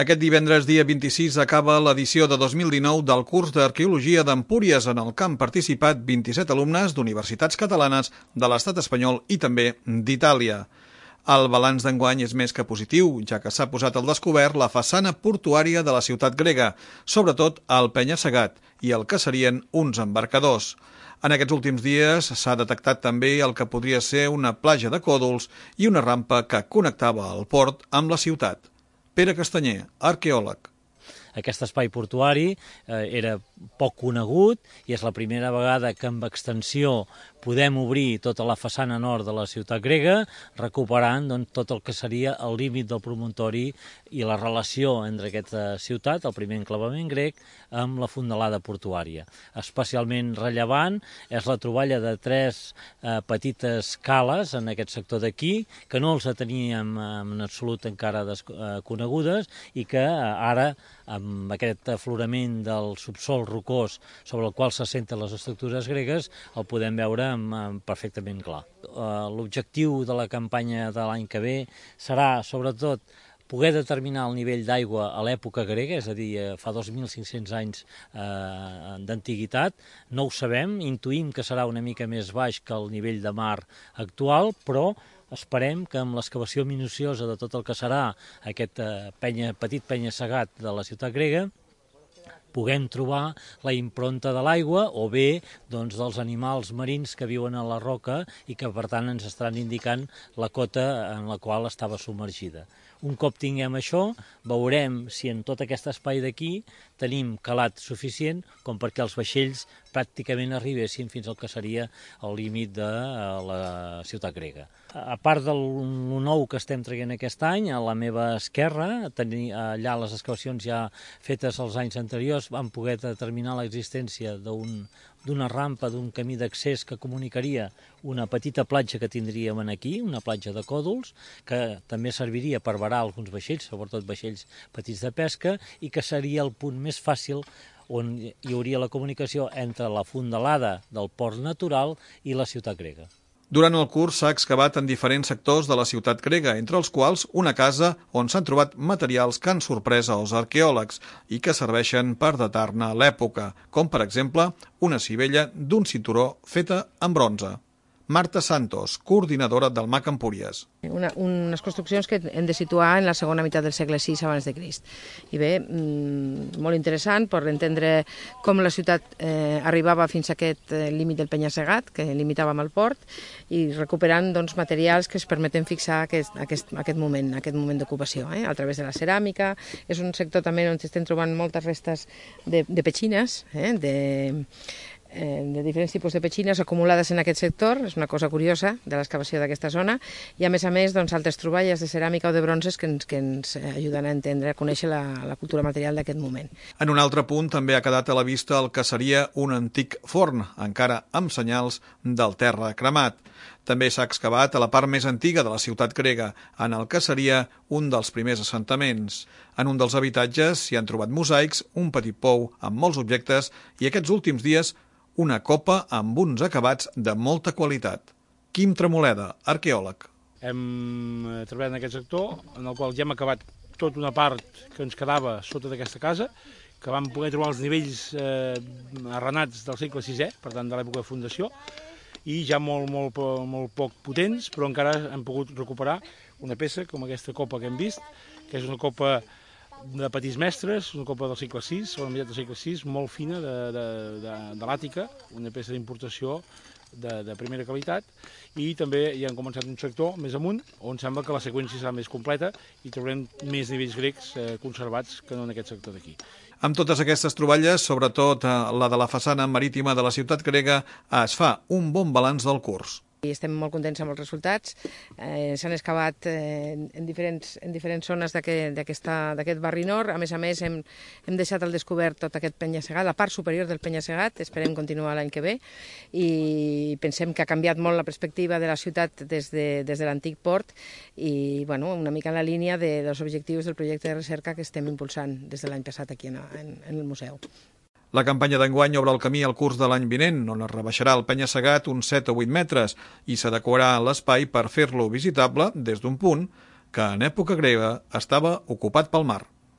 Aquest divendres, dia 26, acaba l'edició de 2019 del curs d'Arqueologia d'Empúries. En el camp participat 27 alumnes d'universitats catalanes de l'estat espanyol i també d'Itàlia. El balanç d'enguany és més que positiu, ja que s'ha posat al descobert la façana portuària de la ciutat grega, sobretot el penya-segat i el que serien uns embarcadors. En aquests últims dies s'ha detectat també el que podria ser una platja de còdols i una rampa que connectava el port amb la ciutat. Pere Castanyer, arqueòleg. Aquest espai portuari era poc conegut i és la primera vegada que amb extensió podem obrir tota la façana nord de la ciutat grega, recuperant tot el que seria el límit del promontori i la relació entre aquesta ciutat, el primer enclavament grec, amb la fondalada portuària. Especialment rellevant és la troballa de tres petites cales en aquest sector d'aquí, que no els teníem en absolut encara conegudes i que ara, amb aquest aflorament del subsol rocós sobre el qual s'assenten les estructures gregues, el podem veure perfectament clar. L'objectiu de la campanya de l'any que ve serà, sobretot, poder determinar el nivell d'aigua a l'època grega, és a dir, fa 2.500 anys d'antiguitat. No ho sabem, intuïm que serà una mica més baix que el nivell de mar actual, però esperem que amb l'excavació minuciosa de tot el que serà aquest petit penya-segat de la ciutat grega puguem trobar la impronta de l'aigua o bé dels animals marins que viuen a la roca i que per tant ens estaran indicant la cota en la qual estava submergida. Un cop tinguem això, veurem si en tot aquest espai d'aquí tenim calat suficient com perquè els vaixells pràcticament arribessin fins al que seria el límit de la ciutat grega. A part del nou que estem traient aquest any, a la meva esquerra, allà les excavacions ja fetes els anys anteriors van poder determinar l'existència d'una rampa, d'un camí d'accés que comunicaria una petita platja que tindríem aquí, una platja de còdols, que també serviria per varar alguns vaixells, sobretot vaixells petits de pesca, i que seria el punt més fàcil on hi hauria la comunicació entre la fondalada del port natural i la ciutat grega. Durant el curs s'ha excavat en diferents sectors de la ciutat grega, entre els quals una casa on s'han trobat materials que han sorprès els arqueòlegs i que serveixen per datar-ne l'època, com per exemple una sivella d'un cinturó feta en bronze. Marta Santos, coordinadora del MAC Empúries. Unes construccions que hem de situar en la segona meitat del segle VI abans de Crist. I bé, molt interessant per entendre com la ciutat arribava fins a aquest límit del penya-segat, que limitava amb el port, i recuperant materials que es permeten fixar aquest moment d'ocupació, a través de la ceràmica. És un sector també on estem trobant moltes restes de petxines, de diferents tipus de petxines acumulades en aquest sector. És una cosa curiosa de l'excavació d'aquesta zona, i a més altres troballes de ceràmica o de bronzes que ens ajuden a entendre, a conèixer la cultura material d'aquest moment. En un altre punt també ha quedat a la vista el que seria un antic forn, encara amb senyals del terra cremat. També s'ha excavat a la part més antiga de la ciutat grega, en el que seria un dels primers assentaments. En un dels habitatges s'hi han trobat mosaics, un petit pou amb molts objectes i aquests últims dies una copa amb uns acabats de molta qualitat. Quim Tremoleda, arqueòleg. Hem treballat en aquest sector, en el qual ja hem acabat tota una part que ens quedava sota d'aquesta casa, que vam poder trobar els nivells arrenats del segle VI, per tant de l'època de fundació, i ja molt poc potents, però encara hem pogut recuperar una peça com aquesta copa que hem vist, que és una copa de petits mestres, una copa del segle VI, segona meitat del segle VI, molt fina, de l'Àtica, una peça d'importació de primera qualitat, i també ja hem començat un sector més amunt, on sembla que la seqüència serà més completa i trobarem més nivells grecs conservats que no en aquest sector d'aquí. Amb totes aquestes troballes, sobretot la de la façana marítima de la ciutat grega, es fa un bon balanç del curs. I estem molt contents amb els resultats. S'han excavat en diferents zones d'aquest barri nord. A més, hem deixat al descobert tot aquest penya-segat, la part superior del penya-segat. Esperem continuar l'any que ve i pensem que ha canviat molt la perspectiva de la ciutat des de l'antic port i una mica en la línia dels objectius del projecte de recerca que estem impulsant des de l'any passat aquí en el museu. La campanya d'enguany obre el camí al curs de l'any vinent, on es rebaixarà el penya-segat uns 7 o 8 metres i s'adequarà l'espai per fer-lo visitable des d'un punt que en època grega estava ocupat pel mar.